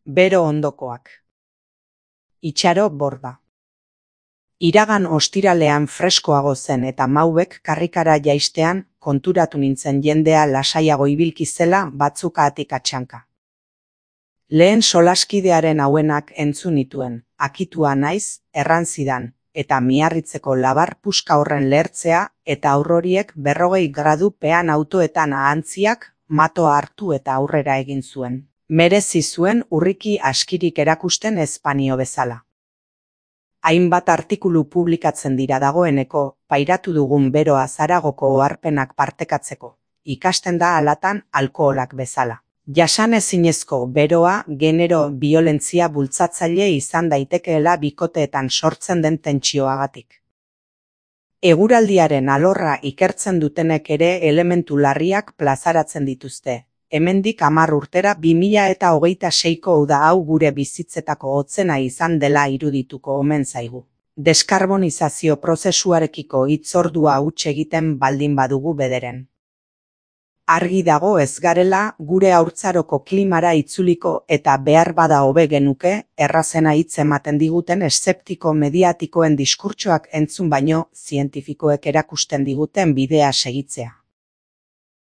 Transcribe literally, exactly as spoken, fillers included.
Bero ondokoak. Itxaro borda. Iragan ostiralean freskoago zen eta maubek karrikara jaistean konturatu nintzen jendea lasaiago ibilki zela batzukaatik atxanka. Lehen solaskidearen hauenak entzun nituen, akitua naiz, erran zidan, eta miarritzeko labar puska horren lehertzea eta aurroriek berrogei gradu pean autoetan ahantziak matoa hartu eta aurrera egin zuen. Merezi zuen urriki askirik erakusten ezpanio bezala. Hainbat artikulu publikatzen dira dagoeneko, pairatu dugun beroa Zaragoko oharpenak partekatzeko, ikasten da alatan alkoholak bezala. Jasan ezinezko beroa genero biolentzia bultzatzaile izan daitekeela bikoteetan sortzen den tentsioagatik. Eguraldiaren alorra ikertzen dutenek ere elementu larriak plazaratzen dituzte. Hemendik hamar urtera bi mila eta hogeita seiko uda hau gure bizitzetako hotzena izan dela irudituko omen zaigu. Deskarbonizazio prozesuarekiko hitzordua huts egiten baldin badugu bederen. Argi dago ez garela gure haurtzaroko klimara itzuliko eta behar bada hobe genuke errazena hitz ematen diguten eszeptiko mediatikoen diskurtsoak entzun baino zientifikoek erakusten diguten bidea segitzea.